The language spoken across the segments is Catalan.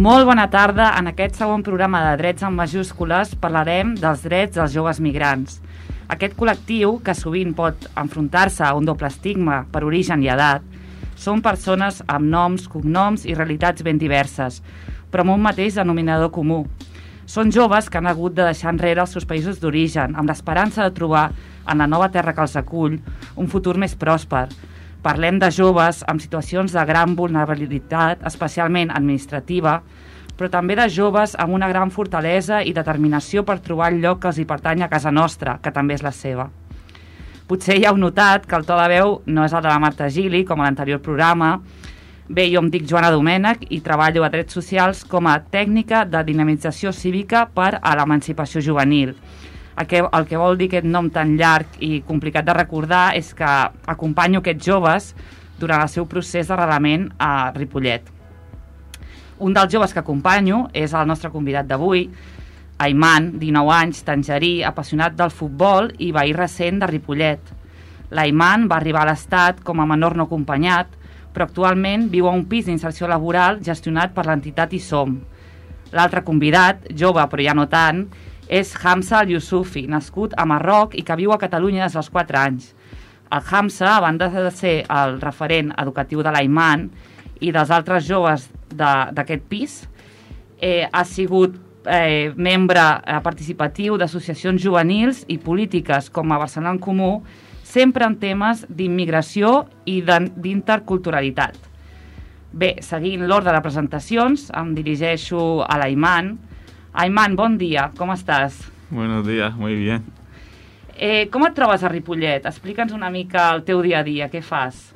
Molt bona tarda. En aquest segon programa de Drets en majúscules parlarem dels drets dels joves migrants. Aquest col·lectiu, que sovint pot enfrontar-se a un doble estigma per origen i edat, són persones amb noms, cognoms i realitats ben diverses, però amb un mateix denominador comú. Són joves que han hagut de deixar enrere els seus països d'origen amb l'esperança de trobar en la nova terra que els acull un futur més pròsper. Parlem de joves amb situacions de gran vulnerabilitat, especialment administrativa, però també de joves amb una gran fortalesa i determinació per trobar el lloc que els hi pertany a casa nostra, que també és la seva. Potser ja heu notat que el to de veu no és el de la Marta Gili, com a l'anterior programa. Bé, jo em dic Joana Domènech i treballo a Drets Socials com a tècnica de dinamització cívica per a l'emancipació juvenil. El que vol dir aquest nom tan llarg i complicat de recordar és que acompanyo aquests joves durant el seu procés d'arrelament a Ripollet. Un dels joves que acompanyo és el nostre convidat d'avui, Ayman, 19 anys, tangerí, apassionat del futbol i veí recent de Ripollet. L'Ayman va arribar a l'Estat com a menor no acompanyat, però actualment viu a un pis d'inserció laboral gestionat per l'entitat ISOM. L'altre convidat, jove però ja no tant, és Hamza Al-Yousufi, nascut a Marroc i que viu a Catalunya des dels 4 anys. El Hamza, a banda de ser el referent educatiu de l'Ayman i dels altres joves d'aquest pis, ha sigut membre participatiu d'associacions juvenils i polítiques com a Barcelona en Comú, sempre en temes d'immigració i d'interculturalitat. Bé, seguint l'ordre de presentacions, em dirigeixo a l'Ayman. Ayman, bon dia, com estàs? Buenos días, muy bien. Com et trobes a Ripollet? Explica'ns una mica el teu dia a dia, què fas?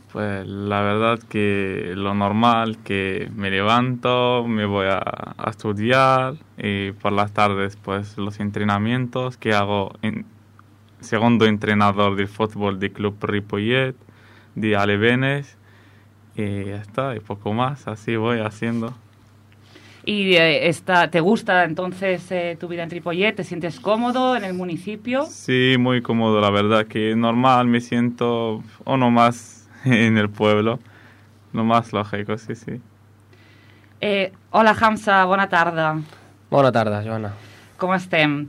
Pues la verdad que lo normal, que me levanto, me voy a estudiar y por las tardes pues los entrenamientos que hago segundo entrenador del fútbol del Club Ripollet, de Alevenes y ya está, y poco más, así voy haciendo. ¿Y te gusta entonces tu vida en Ripollet? ¿Te sientes cómodo en el municipio? Sí, muy cómodo, la verdad que normal, me siento uno más en el pueblo, lo más lógico, sí, sí. Hola, Hamza, bona tarda. Bona tarda, Joana. Com estem?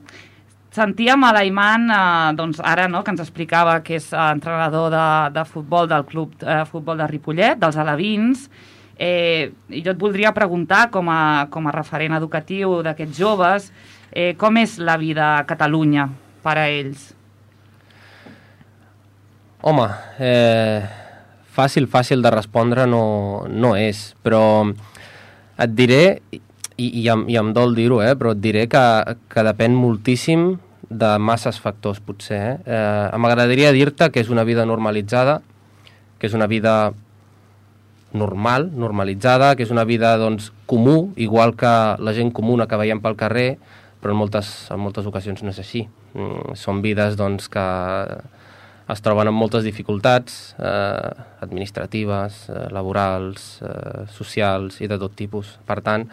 Sentíem a l'Ayman, doncs ara, no, que ens explicava que és entrenador de futbol del Club Futbol de Ripollet, dels alevins. I jo et voldria preguntar, com a referent educatiu d'aquests joves, com és la vida a Catalunya per a ells? Home, fàcil de respondre no és, però et diré, i em dol dir-ho, però et diré que depèn moltíssim de masses factors, potser. M'agradaria dir-te que és una vida normalitzada, que és una vida normalitzada, que és una vida doncs, comú, igual que la gent comuna que veiem pel carrer, però en moltes ocasions no és així. Són vides doncs, que es troben amb moltes dificultats administratives, laborals, socials i de tot tipus. Per tant,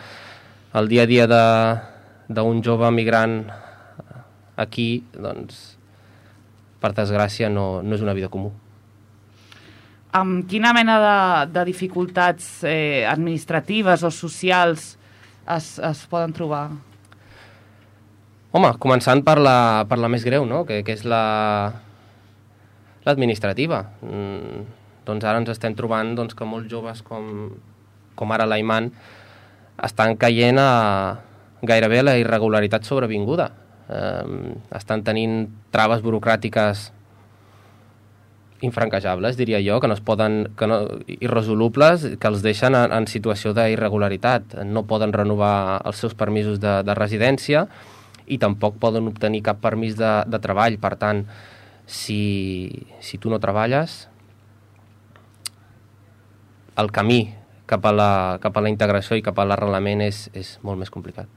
el dia a dia d'un jove migrant aquí, doncs, per desgràcia, no és una vida comú. Amb quina mena de dificultats administratives o socials es poden trobar? Home, començant per la més greu, no? que és l'administrativa. Doncs ara ens estem trobant doncs, que molts joves com ara l'Ayman estan caient gairebé a la irregularitat sobrevinguda. Estan tenint traves burocràtiques infranquejables, diria jo, irresolubles, que els deixen en situació d'irregularitat. No poden renovar els seus permisos de residència i tampoc poden obtenir cap permís de treball. Per tant, si tu no treballes, el camí cap a la integració i cap a l'arrelament és molt més complicat.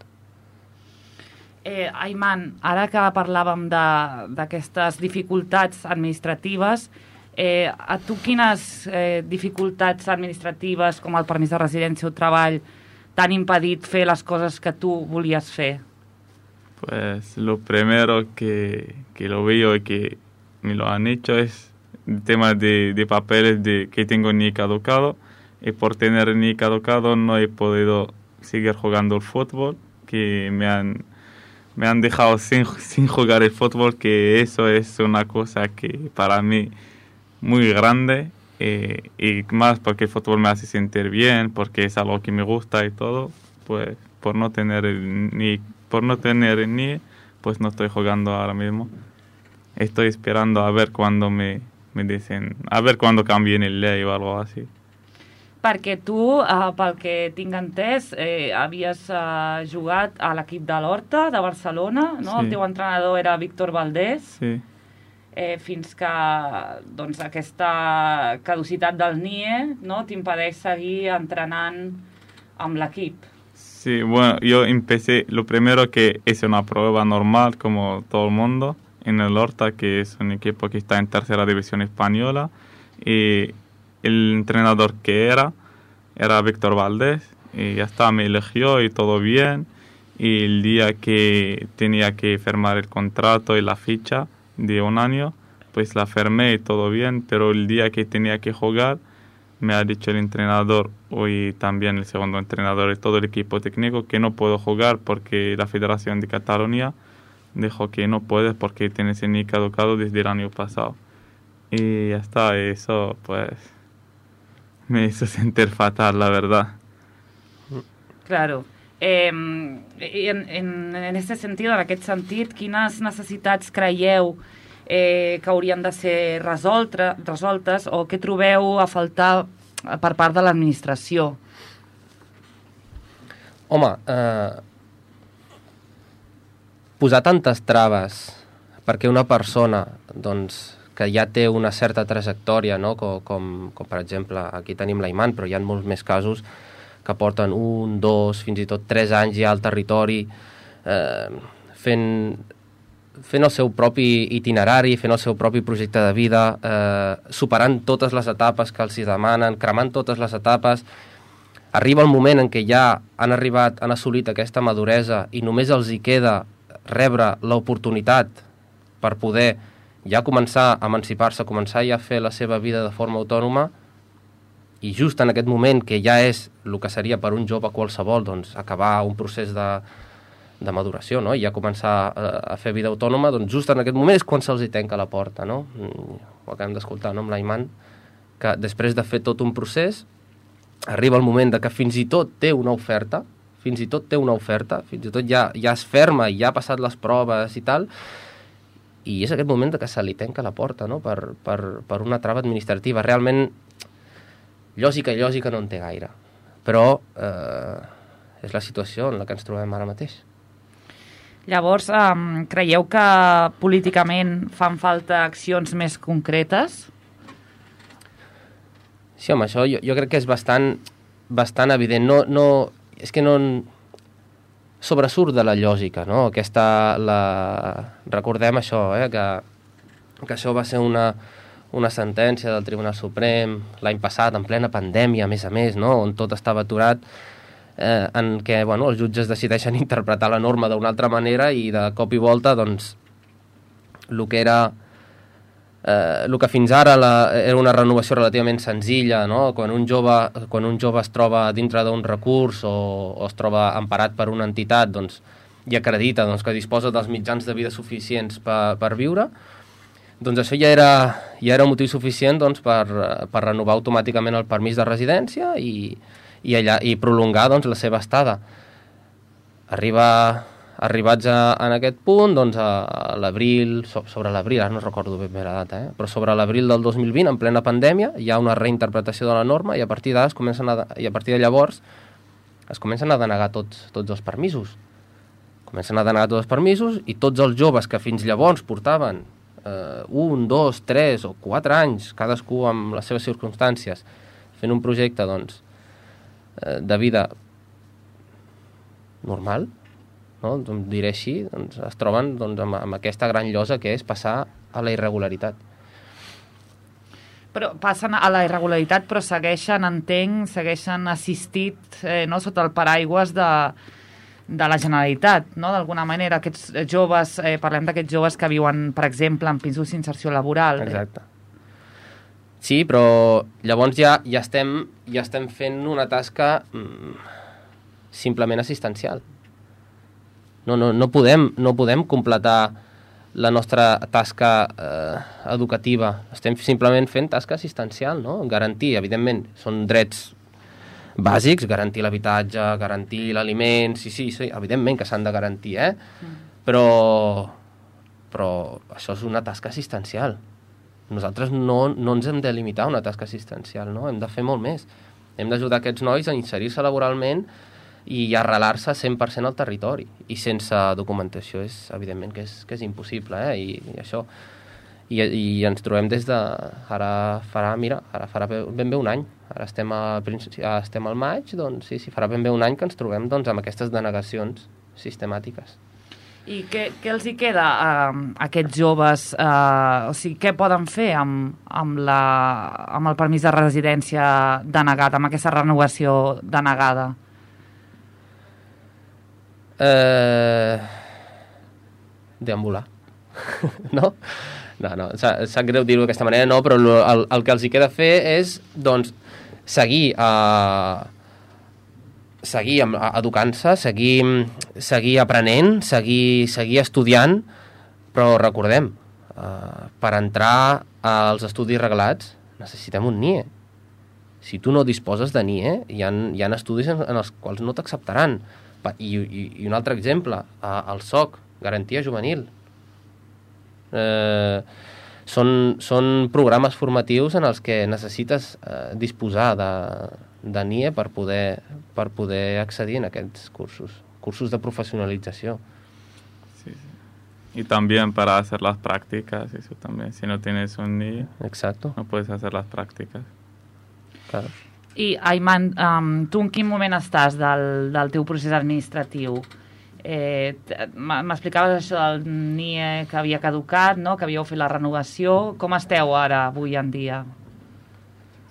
Ayman, ara que parlàvem d'aquestes dificultats administratives, a tu quines dificultats administratives, com el permís de residència o treball, t'han impedit fer les coses que tu volies fer? Pues lo primero que lo veo y que me lo han hecho es el tema de papeles que tengo ni caducado, y por tener ni caducado no he podido seguir jugando el fútbol, que me han dejado sin jugar el fútbol, que eso es una cosa que para mí muy grande, y más porque el fútbol me hace sentir bien, porque es algo que me gusta y todo, pues por no tener el NIE, pues no estoy jugando ahora mismo. Estoy esperando a ver cuando me dicen, a ver cuando cambien el ley o algo así. Perquè tu, pel que tinc entès, havies jugat a l'equip de l'Horta, de Barcelona, no? Sí. El teu entrenador era Víctor Valdés, sí. Fins que doncs, aquesta caducitat del NIE, no, t'impedeix seguir entrenant amb l'equip. Sí, bueno, yo empecé, lo primero que hice una prueba normal como todo el mundo en el Horta, que es un equipo que está en tercera división española, y el entrenador que era Víctor Valdés, y ya está, me eligió y todo bien, y el día que tenía que firmar el contrato y la ficha de 1 año, pues la firmé y todo bien, pero el día que tenía que jugar, me ha dicho el entrenador y también el segundo entrenador y todo el equipo técnico que no puedo jugar porque la Federación de Cataluña dijo que no puedes porque tienes el NIE caducado desde el año pasado. Y ya está, eso pues me hizo sentir fatal, la verdad. Claro. En aquest sentit, quines necessitats creieu que haurien de ser resoltes o què trobeu a faltar per part de l'administració? Home, posar tantes traves perquè una persona doncs, que ja té una certa trajectòria, no? com per exemple, aquí tenim l'Aiman, però hi ha molts més casos que porten 1, 2, fins i tot 3 anys ja al territori, fent el seu propi itinerari, fent el seu propi projecte de vida, superant totes les etapes que els demanen, cremant totes les etapes. Arriba el moment en què ja han assolit aquesta maduresa i només els hi queda rebre l'oportunitat per poder ja començar a emancipar-se, començar ja a fer la seva vida de forma autònoma, i just en aquest moment, que ja és el que seria per un jove qualsevol, doncs, acabar un procés de maduració, no? I ja començar a fer vida autònoma, doncs just en aquest moment és quan se'ls hi tanca la porta, no? Ho acabem d'escoltar, no? Amb l'Aiman, que després de fer tot un procés, arriba el moment de que fins i tot té una oferta, fins i tot ja es ferma i ja ha passat les proves i tal, i és aquest moment de que se li tanca la porta, no? Per una trava administrativa. Realment, lògica no en té gaire, però és la situació en la que ens trobem ara mateix. Llavors, creieu que políticament fan falta accions més concretes? Sí, home, això jo crec que és bastant evident. No, és que no sobresurt de la lògica, no? Recordem això, que això va ser una sentència del Tribunal Suprem l'any passat, en plena pandèmia, a més, no? On tot estava aturat, en què els jutges decideixen interpretar la norma d'una altra manera i de cop i volta doncs, el que fins ara era una renovació relativament senzilla, no? Quan un jove es troba dintre d'un recurs o es troba emparat per una entitat, doncs, i acredita que disposa dels mitjans de vida suficients per viure, doncs això ja era un motiu suficient doncs, per renovar automàticament el permís de residència i prolongar doncs, la seva estada. Arribats en aquest punt, doncs, a l'abril, sobre l'abril, ara no recordo ben bé la data, però sobre l'abril del 2020, en plena pandèmia, hi ha una reinterpretació de la norma i a partir de llavors es comencen a denegar tots els permisos. I tots els joves que fins llavors portaven 1, 2, 3 o 4 anys, cadascú amb les seves circumstàncies, fent un projecte doncs, de vida normal, no? Doncs, diré així, doncs, es troben doncs, amb aquesta gran llosa que és passar a la irregularitat. Però passen a la irregularitat, però segueixen assistit sota el paraigües de la Generalitat, no? D'alguna manera, aquests joves, parlem d'aquests joves que viuen, per exemple, en pisos d'inserció laboral. Exacte. Sí, però llavors ja estem fent una tasca simplement assistencial. No podem completar la nostra tasca educativa. Estem simplement fent tasca assistencial, no? Garantir, evidentment, són drets bàsics, garantir l'habitatge, garantir l'aliment, sí, evidentment que s'han de garantir, però això és una tasca assistencial. Nosaltres no ens hem de limitar a una tasca assistencial, no? Hem de fer molt més. Hem d'ajudar aquests nois a inserir-se laboralment i arrelar-se 100% al territori. I sense documentació evidentment que és impossible, i això. I ens trobem des de... Ara farà ben bé un any. Ara estem al maig, doncs sí, farà ben bé un any que ens trobem doncs, amb aquestes denegacions sistemàtiques. I què els hi queda a aquests joves? O sigui, què poden fer amb el permís de residència denegat, amb aquesta renovació denegada? Deambular. No? No, sap greu dir-ho d'aquesta manera, no, però el que els hi queda fer és, doncs, seguir educant-se, seguir aprenent, seguir estudiant, però recordem, per entrar als estudis reglats necessitem un NIE. Si tu no disposes de NIE, hi ha estudis en els quals no t'acceptaran. I un altre exemple, el SOC, Garantia Juvenil. Són programes formatius en els que necessites disposar de NIE per poder accedir en aquests cursos de profesionalització. Sí. Y también para hacer las prácticas, eso también. Si no tienes un NIE, exacto, no puedes hacer las prácticas. Claro. I, Ayman, tu en quin moment estàs del teu procés administratiu? M'explicaves això del NIE que havia caducat, no? Que havíeu fet la renovació. Com esteu ara, avui en dia?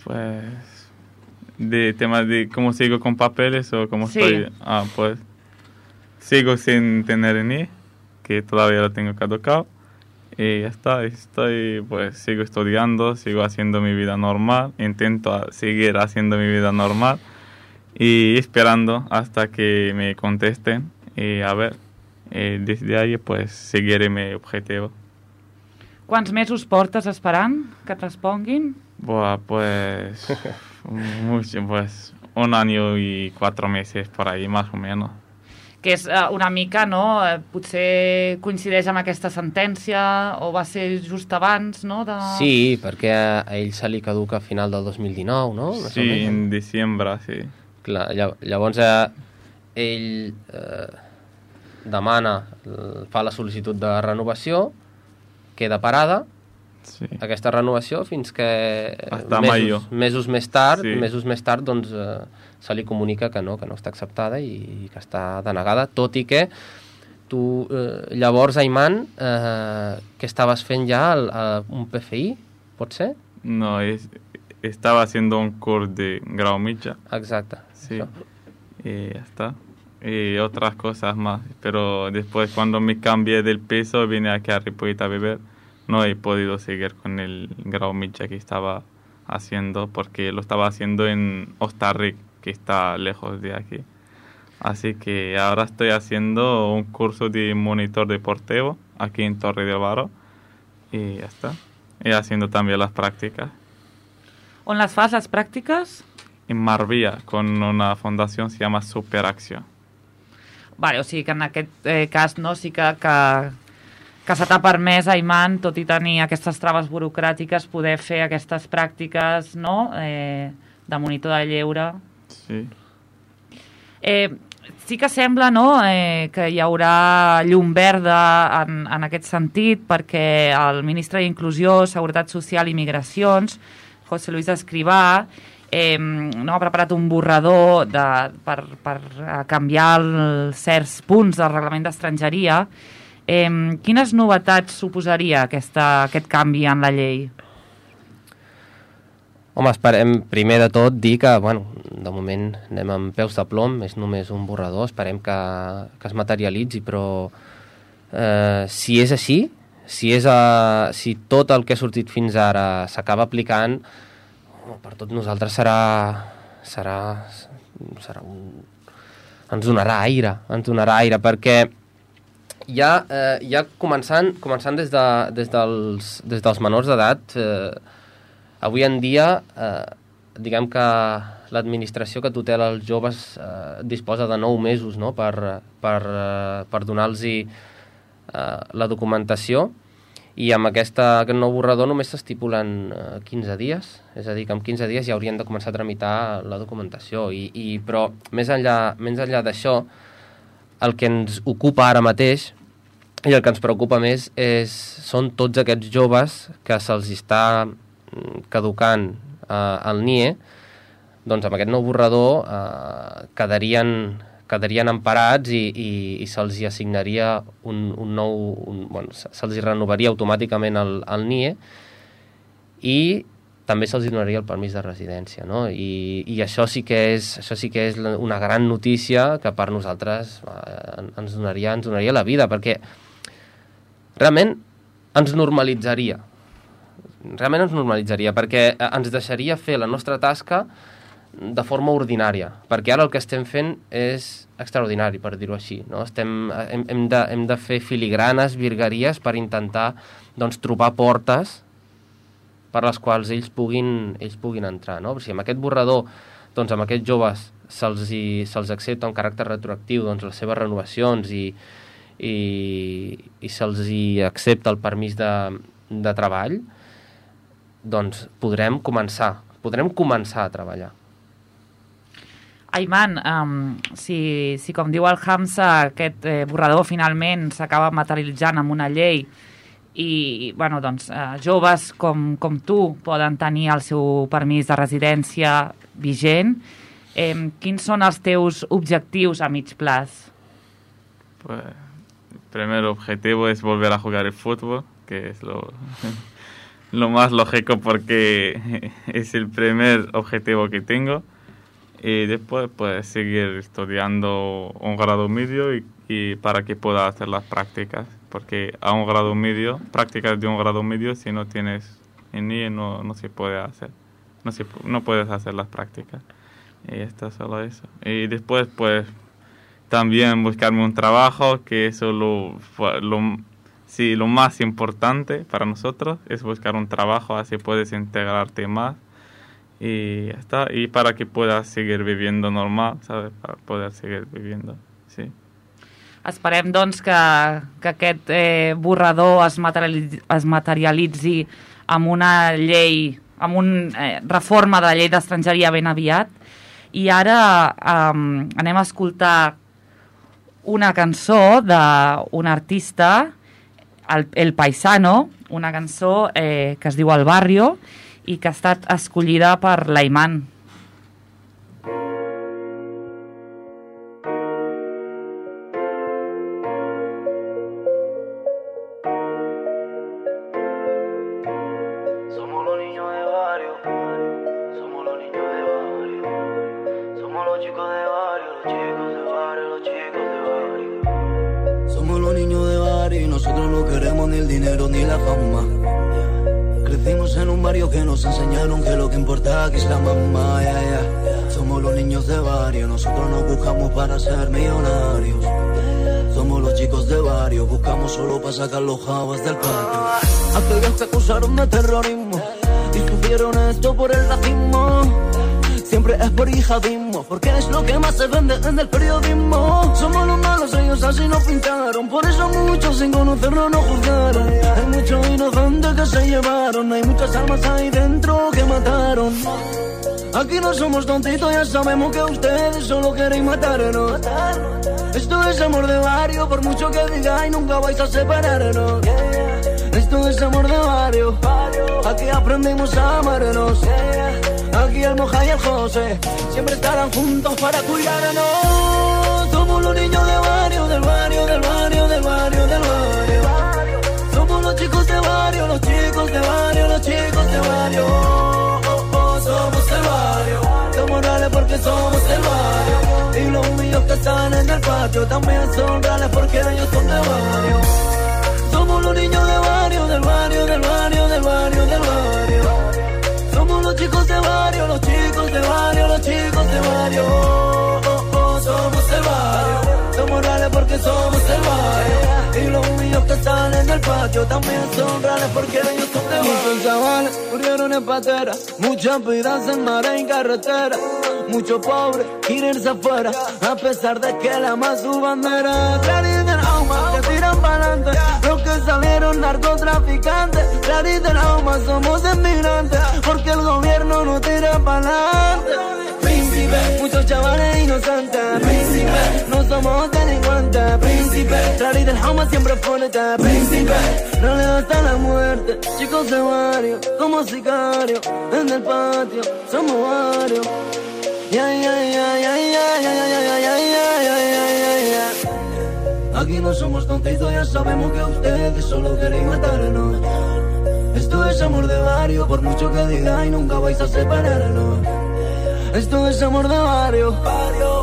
Pues, de tema de cómo sigo con papeles o cómo sí. Estoy. Pues, sigo sin tener NIE, que todavía lo tengo caducado. Y ya está, sigo estudiando, sigo haciendo mi vida normal, intento seguir haciendo mi vida normal y esperando hasta que me contesten y a ver, desde ahí pues seguiré mi objetivo. Quants mesos portes esperant que et responguin? Pues, mucho, pues 1 año y 4 meses por ahí más o menos. Que és una mica, no? Potser coincideix amb aquesta sentència o va ser just abans, no? Sí, perquè a ell se li caduca a final del 2019, no? Sí, en desembre, sí. Clar, llavors ell fa la sol·licitud de renovació, queda parada, sí. Aquesta renovació fins que mesos més tard doncs, se li comunica que no està acceptada i que està denegada, tot i que tu llavors, Ayman, què estaves fent ja? Un PFI, pot ser? No, estaba haciendo un curso de grau mitjà. Exacte. Sí, y ya está. Y otras cosas más, pero después cuando me cambié del piso vine aquí a Ripollet a beber. No he podido seguir con el grau mitjà que estaba haciendo porque lo estaba haciendo en Hostalric, que está lejos de aquí. Así que ahora estoy haciendo un curso de monitor deportivo aquí en Torre de Varo y ya está. Y haciendo también las prácticas. ¿On las fas, las prácticas? En Marbella, con una fundación se llama Superacció. Vale, o sigui que en aquest cas no, sí que se t'ha permès, Ayman, tot i tenir aquestes traves burocràtiques, poder fer aquestes pràctiques, no?, de monitor de lleure. Sí. Sí que sembla, no?, que hi haurà llum verda en aquest sentit, perquè el ministre d'Inclusió, Seguretat Social i Migracions, José Luis Escrivá, no, ha preparat un borrador per canviar certs punts del reglament d'estrangeria. Quines novetats suposaria aquest canvi en la llei? Home, esperem primer de tot dir que, de moment anem amb peus de plom, és només un borrador, esperem que es materialitzi, però si és així, si tot el que ha sortit fins ara s'acaba aplicant, per tots nosaltres serà ens donarà aire, perquè ja començant des dels menors d'edat, avui en dia, diguem que l'administració que tutela els joves disposa de 9 mesos, no?, per donar-los la documentació, i amb aquest nou borrador només s'estipulen 15 dies, és a dir, que en 15 dies ja haurien de començar a tramitar la documentació, però més enllà d'això, el que ens ocupa ara mateix i el que ens preocupa més són tots aquests joves que se'ls està caducant el NIE. Doncs amb aquest nou borrador quedarien emparats i se'ls assignaria se'ls renovaria automàticament el NIE, i també se'ls donaria el permís de residència, no? I això sí que és una gran notícia que per nosaltres ens donaria la vida, perquè realment ens normalitzaria, perquè ens deixaria fer la nostra tasca de forma ordinària, perquè ara el que estem fent és extraordinari, per dir-ho així, no? Hem de fer filigranes, virgueries, per intentar, doncs, trobar portes per les quals ells puguin entrar, no? O sigui, amb aquest borrador, doncs, amb aquests joves se'ls accepta un caràcter retroactiu, doncs, les seves renovacions, i se'ls accepta el permís de treball, doncs podrem començar a treballar. Ayman, si com diu el Hamza, aquest borrador finalment s'acaba materialitzant amb una llei i joves com tu poden tenir el seu permís de residència vigent, quins són els teus objectius a mig plaç? Pues, el primer objetivo es volver a jugar el fútbol, que es lo más lógico porque es el primer objetivo que tengo. Y después pues seguir estudiando un grado medio y para que pueda hacer las prácticas, porque a un grado medio, prácticas de un grado medio, si no tienes en NIE no se puede hacer, no puedes hacer las prácticas, y está solo eso. Y después pues también buscarme un trabajo, que eso lo más importante para nosotros es buscar un trabajo, así puedes integrarte más. Y ya está, y para que puedas seguir viviendo normal, ¿sabes? Para poder seguir viviendo, sí. Esperem, doncs, que aquest borrador es materialitzi amb una llei, amb una reforma de la llei d'estrangeria ben aviat. I ara anem a escoltar una cançó d'un artista, el Paisano, una cançó que es diu El Barrio, i que ha estat escollida per l'Ayman. Somos los niños de barrio, somos los niños de barrio, somos los chicos de barrio, los chicos de barrio, los chicos de barrio. Somos los niños de barrio y nosotros no queremos ni el dinero ni la fama. Crecimos en un barrio que nos enseñaron que lo que importa aquí es la mamá, Somos los niños de barrio, nosotros nos buscamos para ser millonarios. Somos los chicos de barrio, buscamos solo para sacar los jabas del patio. Aquellos que acusaron de terrorismo y sufrieron esto por el racismo, siempre es por yihadismo, porque es lo que más se vende en el periodismo. Somos los malos, ellos así nos pintaron, por eso muchos sin conocernos nos juzgaron. Hay muchos inocentes que se llevaron, hay muchas almas ahí dentro que mataron. Aquí no somos tontitos, ya sabemos que ustedes solo queréis matarnos. Esto es amor de barrio, por mucho que digáis nunca vais a separarnos. Esto es amor de barrio, aquí aprendimos a amarnos. Aquí el Moja y el José siempre estarán juntos para cuidarnos. Somos los niños de barrio, del barrio, del barrio, del barrio, del barrio. Somos los chicos de barrio, los chicos de barrio, los chicos de barrio. Somos el barrio, somos reales porque somos el barrio. Y los míos que están en el patio también son reales porque ellos son de barrio. Somos los niños de barrio, del barrio, del barrio, del barrio, del barrio. Somos los chicos de barrio, los chicos de barrio, los chicos de barrio. Somos el barrio. el patio también son reales porque ellos son de barrio. Muchos chavales murieron en patera, muchas vidas en mar y carretera. Muchos pobres quieren irse afuera, a pesar de que la más su bandera. Clarín del Auma, que tiran pa'lante, los que salieron narcotraficantes. Clarín del Auma, somos inmigrantes, porque el gobierno no tira pa'lante. Príncipe, muchos chavales inocentes. Príncipe, no somos delincuentes. Príncipe, Clarín del Auma siempre fuerte. Príncipe, no le hasta la muerte. Chicos de barrio, como sicarios, en el patio, somos varios. Aquí no somos tontitos, ya sabemos que ustedes solo queréis matarnos. Esto es amor de barrio, por mucho que digáis nunca vais a separarnos. Esto es amor de barrio,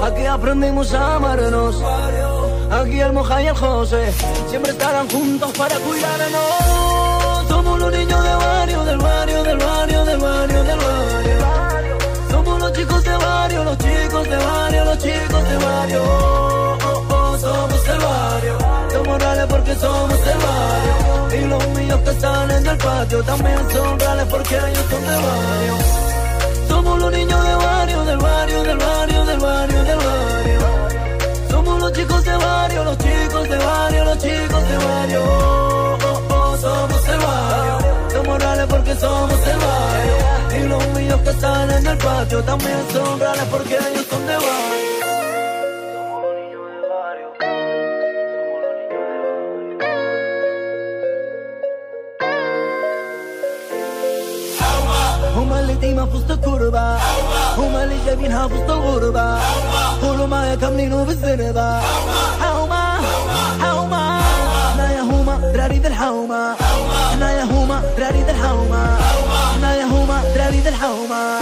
aquí aprendimos a amarnos. Aquí el Moja y el José siempre estarán juntos para cuidarnos. Somos los niños de barrio, del barrio, del barrio, del barrio, del barrio. Somos los chicos de barrio, los chicos de barrio, los chicos de barrio. Somos el barrio, somos reales porque somos el barrio. Y los míos que están en el patio también son reales porque ellos son de barrio. Somos los niños de barrio, del barrio, del barrio, del barrio, del barrio. Somos los chicos de barrio, los chicos de barrio, los chicos de barrio. Somos el barrio, somos reales porque somos el barrio. Y los míos que están en el patio también son reales porque ellos son de barrio. Somos los niños de barrio, somos los niños de barrio. هم اللي ديما في وسط الكربة، هم اللي جايبينها في وسط الغربة، كلهم معايا كاملينه بالزنبة. هما هما احنا يا هما دراري ذا الحومة، احنا يا هما دراري ذا الحومة، احنا يا هما دراري ذا الحومة.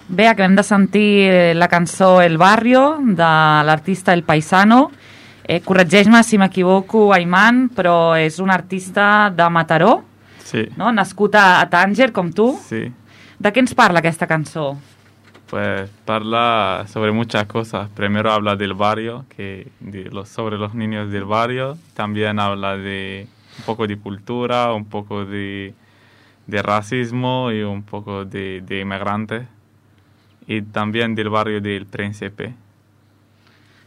Bé, acabem de sentir la cançó El Barrio, de l'artista El Paisano. Corregeix-me si m'equivoco, Ayman, però és un artista de Mataró, Sí. no? Nascut a Tànger, com tu. Sí. De què ens parla aquesta cançó? Pues habla sobre muchas cosas. Primero habla del barrio, sobre los niños del barrio. También habla de un poco de cultura, un poco de racismo y un poco de inmigrantes. Y también del barrio del Príncipe.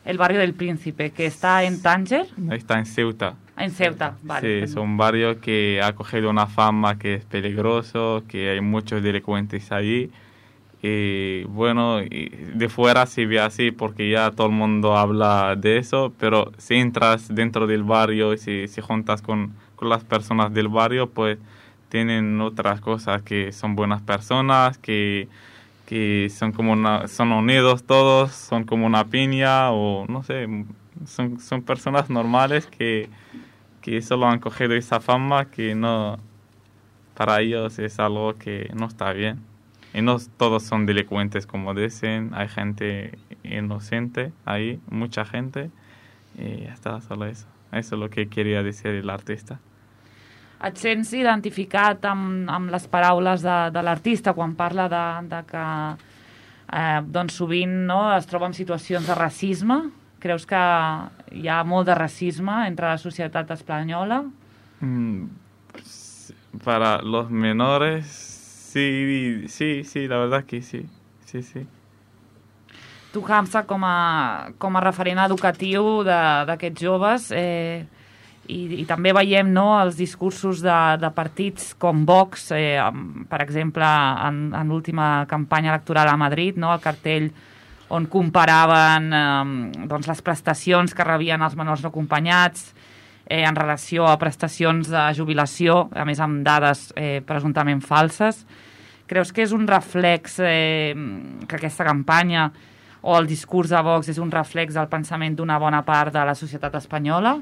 El barrio del Príncipe, que está en Tànger. Está en Ceuta. En Ceuta, vale. Sí, es un barrio que ha cogido una fama que es peligroso, que hay muchos delincuentes allí. Y bueno, de fuera se ve así porque ya todo el mundo habla de eso, pero si entras dentro del barrio y si juntas con las personas del barrio, pues tienen otras cosas, que son buenas personas, que son son unidos todos, son como una piña, o no sé, son personas normales que solo han cogido esa fama que no, para ellos es algo que no está bien. Y no todos son delincuentes, como dicen, hay gente inocente ahí, mucha gente, y ya está, solo eso. Eso es lo que quería decir el artista. Et sents identificat amb les paraules de l'artista quan parla de que doncs sovint, no, es troba en situacions de racisme? Creus que hi ha molt de racisme entre la societat espanyola? Para los menores, sí, la verdad que sí. Tu, Hamza, com a referent educatiu d'aquests joves, i també veiem, no, els discursos de partits com Vox, per exemple, en l'última campanya electoral a Madrid, no, el cartell on comparaven doncs, les prestacions que rebien els menors no acompanyats en relació a prestacions de jubilació, a més amb dades presumptament falses. Creus que és un reflex, que aquesta campanya o el discurs de Vox és un reflex del pensament d'una bona part de la societat espanyola?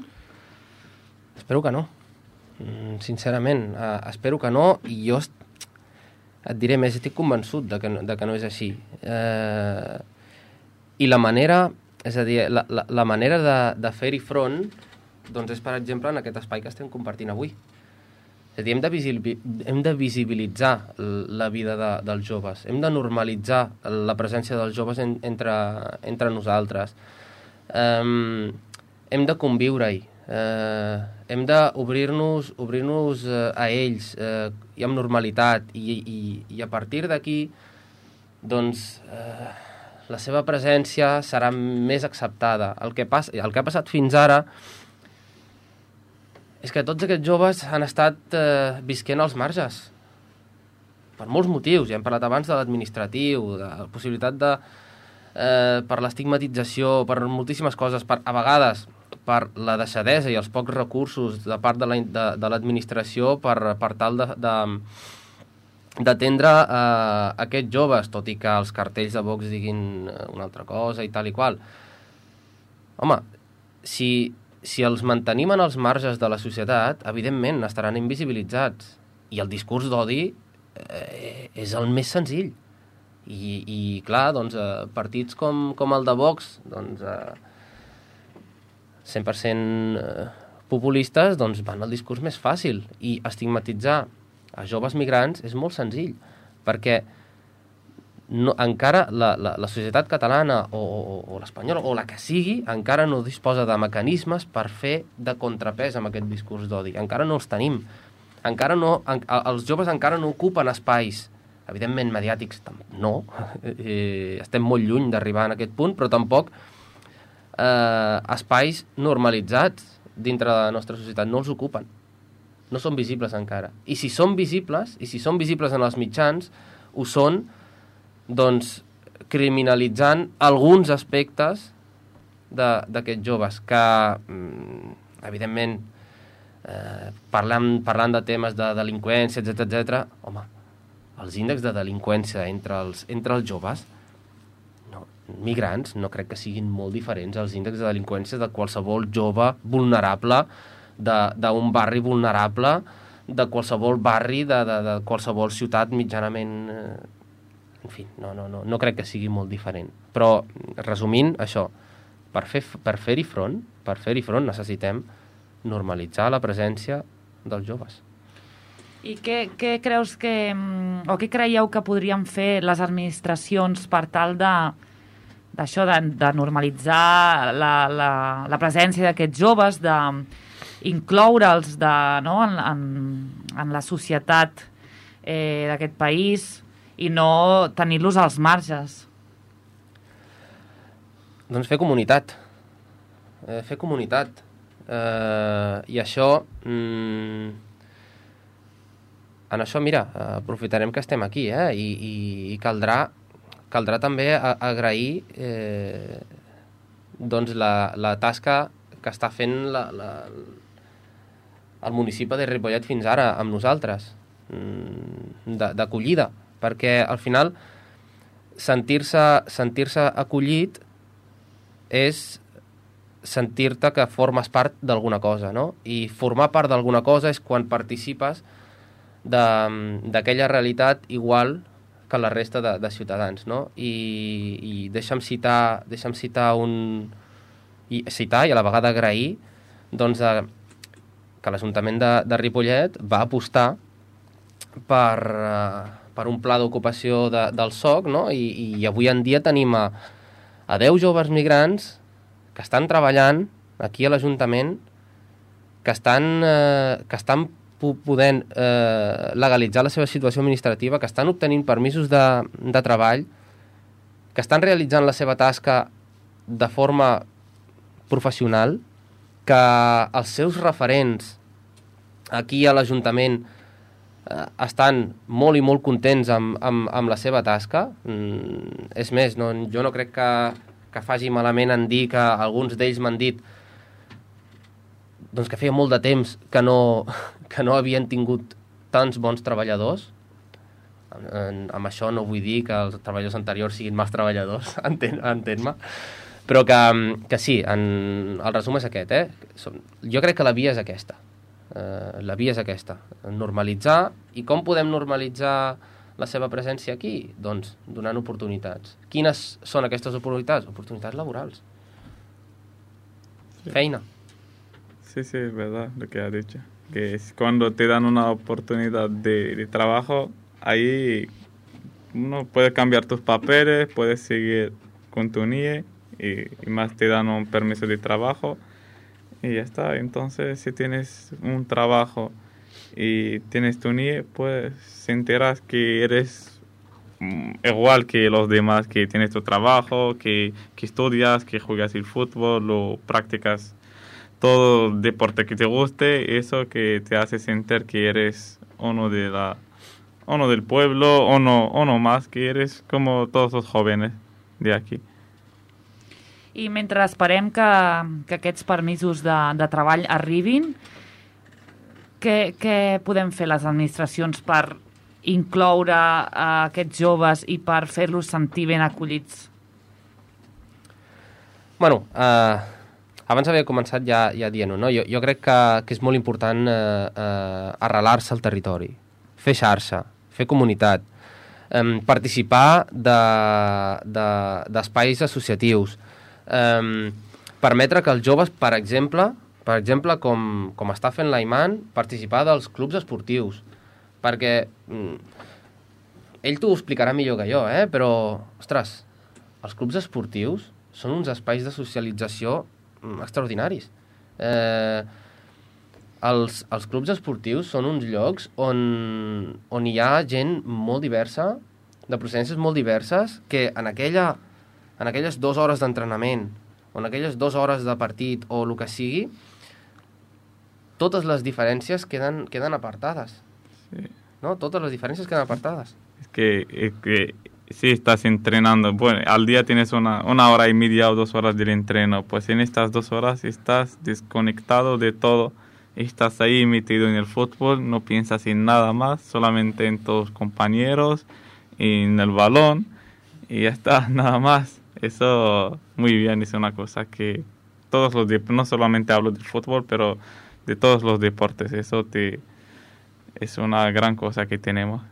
Espero que no. Sincerament, espero que no, i jo et diré més, estic convençut de que no és així. I la manera, és a dir, la manera de fer-hi front doncs és, per exemple, en aquest espai que estem compartint avui. És a dir, hem de visibilitzar la vida dels joves, hem de normalitzar la presència dels joves entre nosaltres. hem de conviure-hi, hem d'obrir-nos a ells i amb normalitat, i a partir d'aquí doncs la seva presència serà més acceptada. El que ha passat fins ara és que tots aquests joves han estat visquent als marges per molts motius. Ja hem parlat abans de l'administratiu, de la possibilitat de per l'estigmatització, per moltíssimes coses, a vegades per la deixadesa i els pocs recursos de part de l'administració per tal d'atendre aquests joves, tot i que els cartells de Vox diguin una altra cosa i tal i qual. Home, si els mantenim en els marges de la societat, evidentment estaran invisibilitzats, i el discurs d'odi és el més senzill. I clar, doncs, partits com el de Vox, doncs, 100% populistes, doncs van al discurs més fàcil, i estigmatitzar a joves migrants és molt senzill, perquè encara la societat catalana o l'espanyola, o la que sigui, encara no disposa de mecanismes per fer de contrapès amb aquest discurs d'odi. Encara no els tenim. Els joves encara no ocupen espais, evidentment mediàtics no, estem molt lluny d'arribar en aquest punt, però tampoc espais normalitzats dintre de la nostra societat no els ocupen, no són visibles encara, i si són visibles en els mitjans, ho són doncs criminalitzant alguns aspectes d'aquests joves que evidentment parlant de temes de delinqüència, etc. Home, els índexs de delinqüència entre els joves migrants no crec que siguin molt diferents als índexs de delinqüència de qualsevol jove vulnerable d'un barri vulnerable, de qualsevol barri de qualsevol ciutat mitjanament... En fi, no crec que sigui molt diferent. Però, resumint, això, per fer-hi front necessitem normalitzar la presència dels joves. I què creus o què creieu que podrien fer les administracions per tal d'això, de normalitzar la presència d'aquests joves, d'incloure'ls en la societat d'aquest país i no tenir-los als marges? Doncs fer comunitat. I això... En això, mira, aprofitarem que estem aquí, i caldrà també agrair doncs la tasca que està fent el municipi de Ripollet fins ara amb nosaltres, d'acollida, perquè al final sentir-se acollit és sentir-te que formes part d'alguna cosa, no? I formar part d'alguna cosa és quan participes d'aquella realitat igual que la resta de ciutadans, no? I deixa'm citar i a la vegada agrair doncs, que l'Ajuntament de Ripollet va apostar per un pla d'ocupació del SOC, no? I avui en dia tenim a 10 joves migrants que estan treballant aquí a l'Ajuntament, que estan podent legalitzar la seva situació administrativa, que estan obtenint permisos de treball, que estan realitzant la seva tasca de forma professional, que els seus referents aquí a l'Ajuntament estan molt i molt contents amb la seva tasca. És més, jo no crec que faci malament en dir que alguns d'ells m'han dit doncs que feia molt de temps que no havien tingut tants bons treballadors. Amb això no vull dir que els treballadors anteriors siguin mals treballadors, entén-me, però que sí, el resum és aquest. Jo crec que la via és aquesta. Normalitzar. I com podem normalitzar la seva presència aquí? Doncs donant oportunitats. Quines són aquestes oportunitats? Oportunitats laborals. Sí. Feina. Sí, es verdad lo que has dicho. Que es cuando te dan una oportunidad de trabajo, ahí uno puede cambiar tus papeles, puedes seguir con tu NIE y más te dan un permiso de trabajo y ya está. Entonces, si tienes un trabajo y tienes tu NIE, pues se enteras que eres igual que los demás, que tienes tu trabajo, que estudias, que juegas el fútbol o practicas todo deporte que te guste, eso que te hace sentir que eres uno del pueblo, uno más, que eres como todos los jóvenes de aquí. I mentre esperem que aquests permisos de treball arribin, què podem fer les administracions per incloure aquests joves i per fer-los sentir ben acollits? Bueno, abans havia començat ja dient-ho, no? Jo crec que és molt important arrelar-se al territori, fer xarxa, fer comunitat, participar d'espais associatius, permetre que els joves, per exemple, com està fent l'Aiman, participar dels clubs esportius, perquè ell t'ho explicarà millor que jo, però, ostres, els clubs esportius són uns espais de socialització extraordinaris. Els clubs esportius són uns llocs on hi ha gent molt diversa, de procedències molt diverses, que en aquelles 2 hores d'entrenament o en aquelles 2 hores de partit o el que sigui, totes les diferències queden apartades. Sí. ¿No? Todas las diferencias quedan apartadas. Es que si estás entrenando, bueno, al día tienes una hora y media o 2 horas del entreno, pues en estas 2 horas estás desconectado de todo, estás ahí metido en el fútbol, no piensas en nada más, solamente en tus compañeros, en el balón, y ya está, nada más. Eso muy bien, es una cosa que todos los no solamente hablo del fútbol, pero de todos los deportes, eso es una gran cosa que tenemos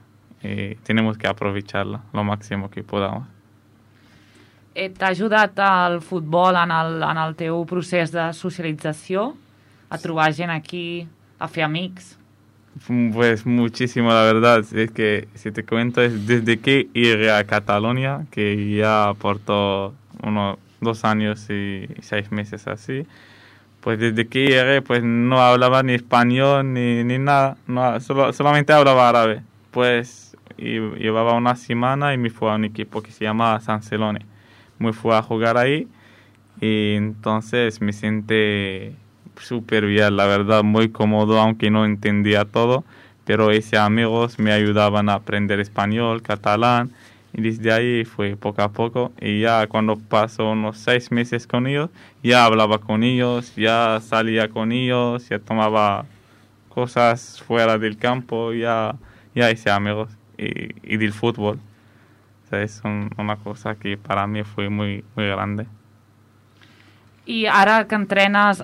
y tenemos que aprovecharla lo máximo que podamos. T'ha ajudat el futbol en el teu procés de socialització? A trobar gent aquí, a fer amics? Pues muchísimo, la verdad. Es que, si te cuento, es desde que llegué a Cataluña, que ya portó 2 años y 6 meses así, pues desde que llegué pues no hablaba ni español ni nada, no, solamente hablaba árabe. Pues llevaba una semana y me fui a un equipo que se llama San Celone. Me fui a jugar ahí y entonces me sentí súper bien, la verdad, muy cómodo, aunque no entendía todo, pero esos amigos me ayudaban a aprender español, catalán, y desde ahí fue poco a poco, y ya cuando pasó unos 6 meses con ellos, ya hablaba con ellos, ya salía con ellos, ya tomaba cosas fuera del campo, ya hice amigos, y del fútbol. O sea, es una cosa que para mí fue muy, muy grande. I ara que entrenes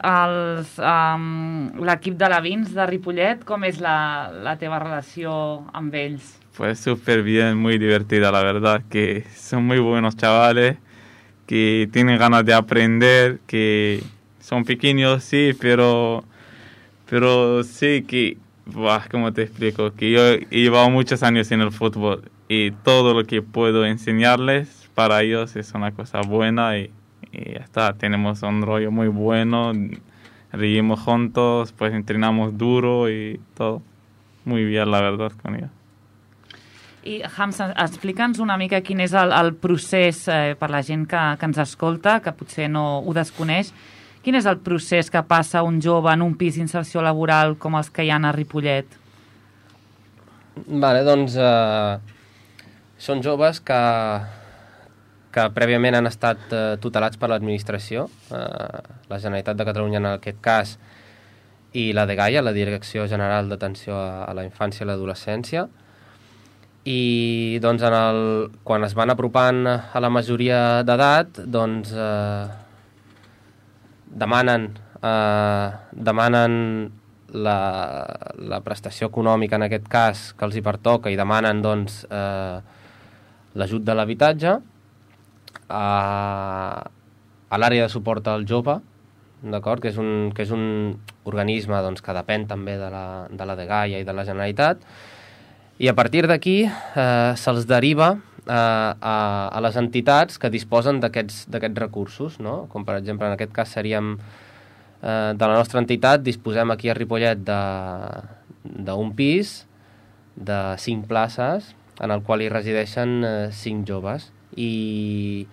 l'equip de l'Avins de Ripollet, com és la teva relació amb ells? Pues súper bien, muy divertida, la verdad, que son muy buenos chavales, que tienen ganas de aprender, que son pequeños, sí, pero sí que, ¿cómo te explico? Que yo he llevado muchos años en el fútbol y todo lo que puedo enseñarles para ellos es una cosa buena y ya está, tenemos un rollo muy bueno, reímos juntos, pues entrenamos duro y todo. Muy bien, la verdad, con ellos. I, Hamza, explica'ns una mica quin és el procés per la gent que ens escolta, que potser no ho desconeix. Quin és el procés que passa un jove en un pis d'inserció laboral com els que hi ha a Ripollet? Vale, doncs són joves que prèviament han estat tutelats per l'administració, la Generalitat de Catalunya en aquest cas, i la DGAIA, la Direcció General d'Atenció a la Infància i l'Adolescència, i doncs quan es van apropant a la majoria d'edat, doncs demanen la prestació econòmica, en aquest cas, que els hi pertoca, i demanen doncs l'ajut de l'habitatge a l'àrea de suport al jove, d'acord, que és un organisme doncs, que depèn també de la DGAIA i de la Generalitat, i a partir d'aquí se'ls deriva a les entitats que disposen d'aquests recursos, no? Com per exemple, en aquest cas seríem de la nostra entitat, disposem aquí a Ripollet d'un pis de 5 places en el qual hi resideixen 5 joves. I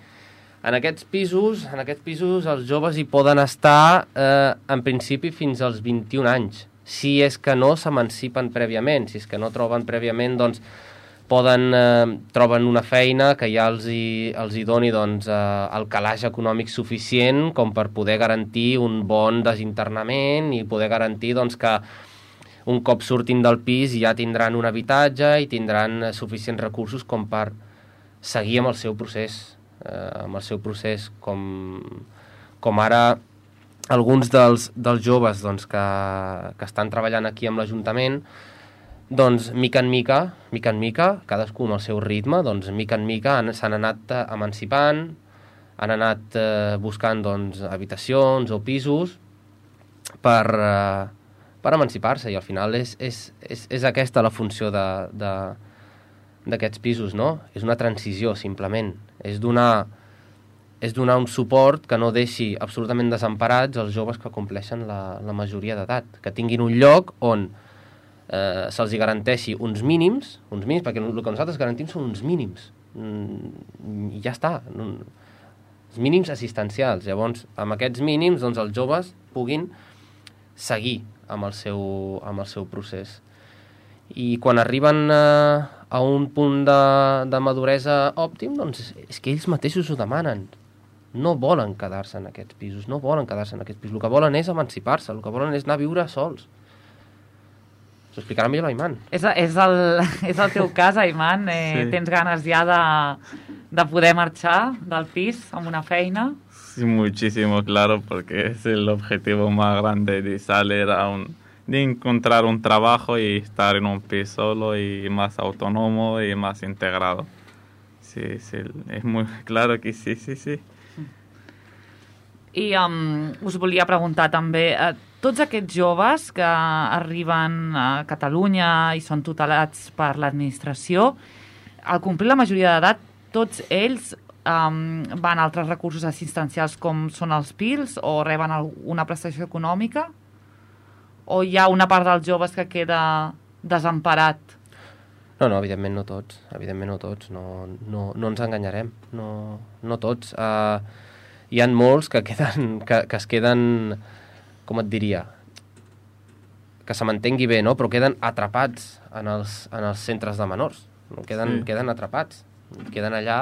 en aquests pisos els joves hi poden estar en principi fins als 21 anys, si és que no s'emancipen prèviament. Si és que no troben prèviament, doncs troben una feina que ja els hi doni doncs, el calaix econòmic suficient com per poder garantir un bon desinternament i poder garantir doncs, que un cop surtin del pis ja tindran un habitatge i tindran suficients recursos com per seguir amb el seu procés, com ara alguns dels joves doncs, que estan treballant aquí amb l'Ajuntament, doncs mica en mica, cadascú amb el seu ritme, doncs mica en mica s'han anat emancipant, han anat buscant doncs, habitacions o pisos per emancipar-se, i al final és aquesta la funció d'aquests pisos, no? És una transició, simplement. És donar un suport que no deixi absolutament desemparats els joves que compleixen la majoria d'edat, que tinguin un lloc on se'ls garanteixi uns mínims, perquè el que nosaltres garantim són uns mínims, i ja està, els mínims assistencials. Llavors, amb aquests mínims, doncs, els joves puguin seguir amb el seu procés. I quan arriben a un punt de maduresa òptim, doncs és que ells mateixos ho demanen. No volen quedar-se en aquests pisos, El que volen és emancipar-se, el que volen és anar a viure sols. S'ho explicarà millor l'Aiman. És el teu cas, Aiman? Sí. Tens ganes ja de poder marxar del pis amb una feina? Sí, muchísimo, claro, porque es el objetivo más grande de salir de encontrar un trabajo y estar en un piso solo y más autónomo y más integrado. Sí, es muy claro que sí. I us volia preguntar també, tots aquests joves que arriben a Catalunya i són tutelats per l'administració, al complir la majoria d'edat, tots ells van a altres recursos assistencials com són els PILs o reben una prestació econòmica? O hi ha una part dels joves que queda desemparat? No, evidentment no tots. No ens enganyarem. No tots. Hi ha molts que es queden, com et diria, que se m'entengui bé, no? Però queden atrapats en els centres de menors. Queden atrapats. Queden allà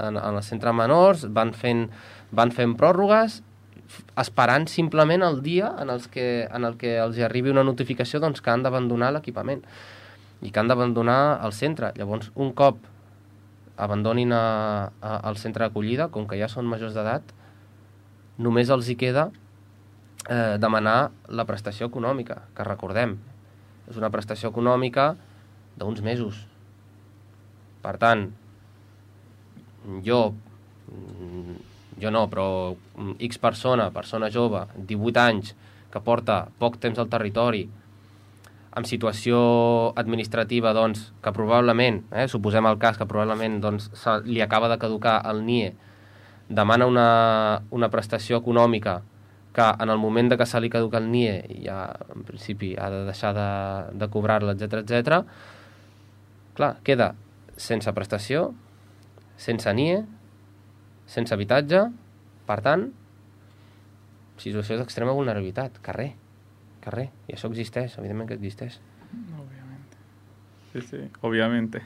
en el centre de menors, van fent pròrrogues, esperant simplement el dia en el que els arribi una notificació doncs, que han d'abandonar l'equipament i que han d'abandonar el centre. Llavors, un cop abandonin el centre d'acollida, com que ja són majors d'edat, només els hi queda demanar la prestació econòmica, que recordem, és una prestació econòmica d'uns mesos. Per tant, jo no, però X persona jove, 18 anys, que porta poc temps al territori, amb situació administrativa, doncs, que probablement, suposem el cas que probablement doncs, li acaba de caducar el NIE, demana una prestació econòmica que en el moment de que se li caduca el NIE ja, en principi, ha de deixar de cobrar-la, etc. Clar, queda sense prestació, sense NIE, sense habitatge, per tant, situació d'extrema vulnerabilitat, carrer, i això existeix, evidentment que existeix. Sí, obviamente.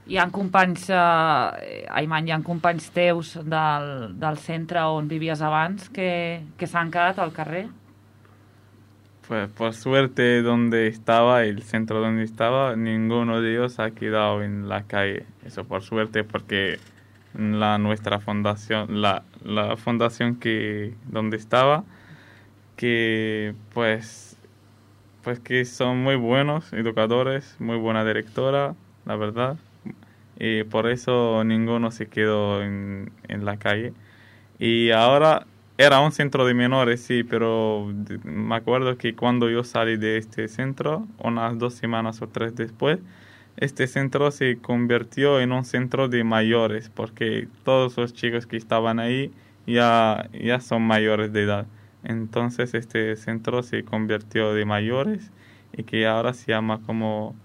Hi ha companys, Aiman, hi ha companys teus del centre on vivies abans que s'han quedat al carrer? Pues por suerte el centro donde estaba, ninguno de ellos ha quedado en la calle. Eso por suerte, porque nuestra fundación, la fundación donde estaba, que pues que son muy buenos educadores, muy buena directora, la verdad. Y por eso ninguno se quedó en la calle. Y ahora era un centro de menores, sí, pero me acuerdo que cuando yo salí de este centro, unas 2 semanas o 3 después, este centro se convirtió en un centro de mayores, porque todos los chicos que estaban ahí ya son mayores de edad. Entonces este centro se convirtió de mayores y que ahora se llama como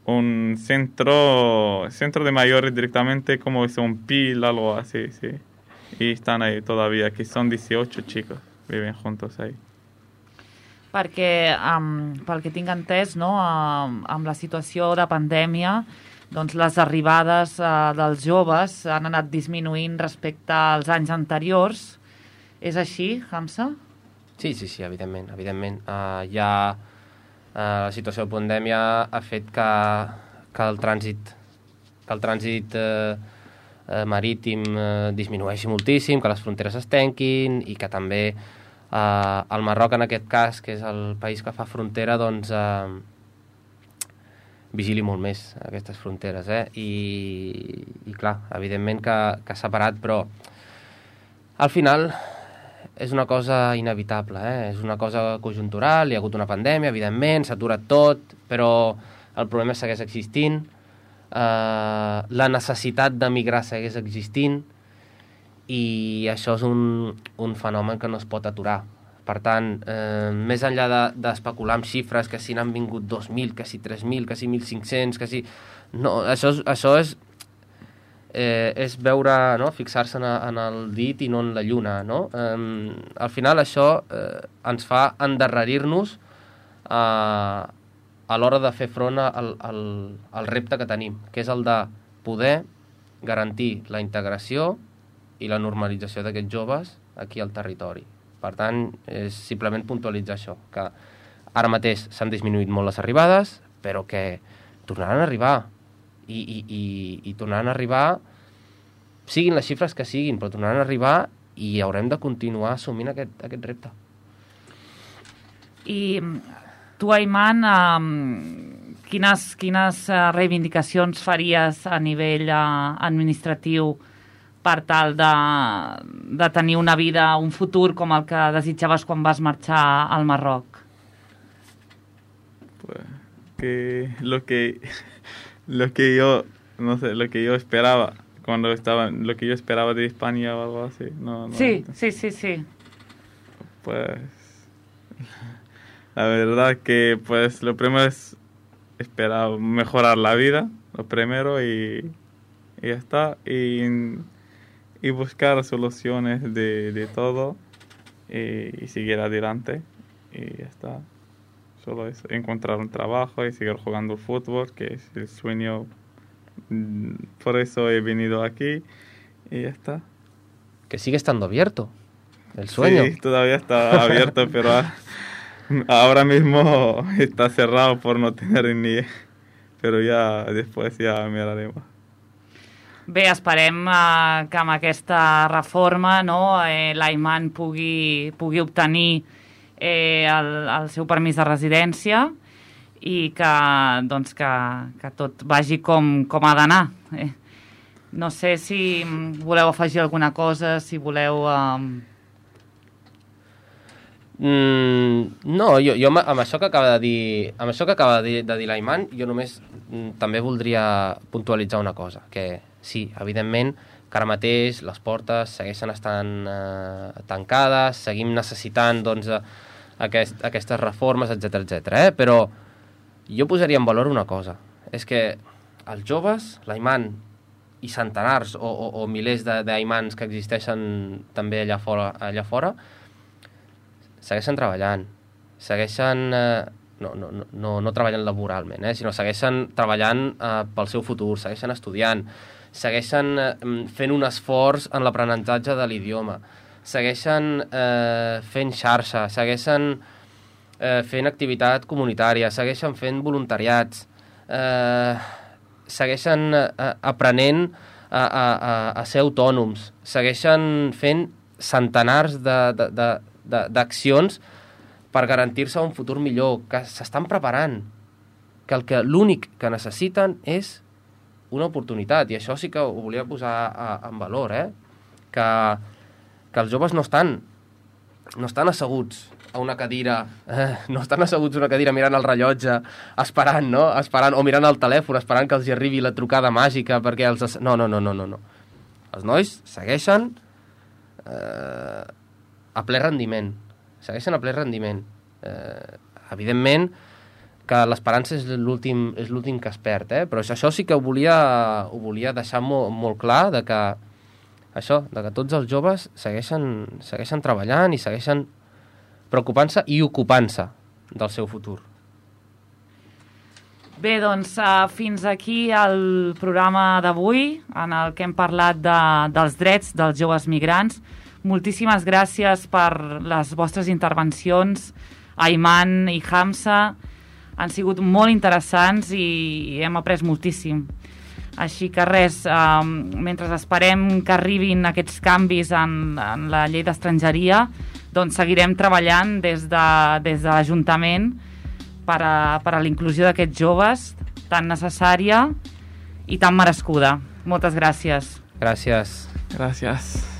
un centro de mayores directamente, como es un PIL, algo así, sí. Y están ahí todavía, que son 18 chicos, viven juntos ahí. Perquè, pel que tinc entès, no, amb la situació de pandèmia, doncs les arribades dels joves han anat disminuint respecte als anys anteriors. És així, Hamza? Sí, evidentment. La situació de pandèmia ha fet que el trànsit marítim disminueixi moltíssim, que les fronteres es tanquin i que també el Marroc, en aquest cas, que és el país que fa frontera, doncs vigili molt més aquestes fronteres, I clar, evidentment que s'ha parat, però al final és una cosa inevitable, És una cosa conjuntural, hi ha hagut una pandèmia, evidentment, s'ha aturat tot, però el problema segueix existint, la necessitat d'emigrar segueix existint, i això és un fenomen que no es pot aturar. Per tant, més enllà d'especular amb xifres, que si n'han vingut 2.000, que si 3.000, que si 1.500, que si... No, això és veure, no? Fixar-se en el dit i no en la lluna, no? Al final això ens fa endarrerir-nos a l'hora de fer front al repte que tenim, que és el de poder garantir la integració i la normalització d'aquests joves aquí al territori. Per tant, és simplement puntualitzar això, que ara mateix s'han disminuït molt les arribades, però que tornaran a arribar. I tornaran a arribar, siguin les xifres que siguin, però tornaran a arribar i haurem de continuar assumint aquest repte. I tu, Ayman, quines reivindicacions faries a nivell administratiu per tal de tenir una vida, un futur com el que desitjaves quan vas marxar al Marroc? Pues que lo que yo esperaba cuando estaba, lo que yo esperaba de España o algo así. No, sí. Pues la verdad que pues lo primero es esperar mejorar la vida, lo primero, y ya está, y buscar soluciones de todo y seguir adelante, y ya está. Solo eso, encontrar un trabajo y seguir jugando fútbol, que es el sueño. Por eso he venido aquí y ya está. Que sigue estando abierto el sueño. Sí, todavía está abierto, pero ahora mismo está cerrado por no tener ni... Pero ya después ya miraremos. Bé, esperem que amb aquesta reforma, no, l'Ayman pugui obtenir el seu permís de residència i que tot vagi com ha d'anar. No sé si voleu afegir alguna cosa, si voleu... No, jo amb això que acaba de dir l'Ayman, jo només també voldria puntualitzar una cosa, que sí, evidentment, que ara mateix les portes segueixen estant tancades, seguim necessitant doncs, aquestes reformes, etc. Però jo posaria en valor una cosa, és que els joves, l'Ayman i centenars o milers d'Aymans que existeixen també allà fora, segueixen treballant, segueixen, no treballen laboralment, sinó segueixen treballant pel seu futur, segueixen estudiant, segueixen fent un esforç en l'aprenentatge de l'idioma, segueixen fent xarxa, segueixen fent activitat comunitària, segueixen fent voluntariats, segueixen aprenent a ser autònoms, segueixen fent centenars d'accions per garantir-se un futur millor, que s'estan preparant, que l'únic que necessiten és una oportunitat, i això sí que ho volia posar en valor, que els joves no estan no estan asseguts a una cadira, mirant el rellotge, esperant, no? Esperant, o mirant el telèfon, esperant que els hi arribi la trucada màgica perquè els... No. Els nois segueixen a ple rendiment. Evidentment que l'esperança és l'últim que es perd, però això sí que ho volia deixar molt clar, de que tots els joves segueixen treballant i segueixen preocupant-se i ocupant-se del seu futur. Bé, doncs fins aquí el programa d'avui, en el que hem parlat dels drets dels joves migrants. Moltíssimes gràcies per les vostres intervencions, Ayman i Hamza. Han sigut molt interessants i hem après moltíssim. Així que res, mentre esperem que arribin aquests canvis en la llei d'estrangeria, doncs seguirem treballant des de l'Ajuntament per a la inclusió d'aquests joves tan necessària i tan merescuda. Moltes gràcies. Gràcies. Gracias.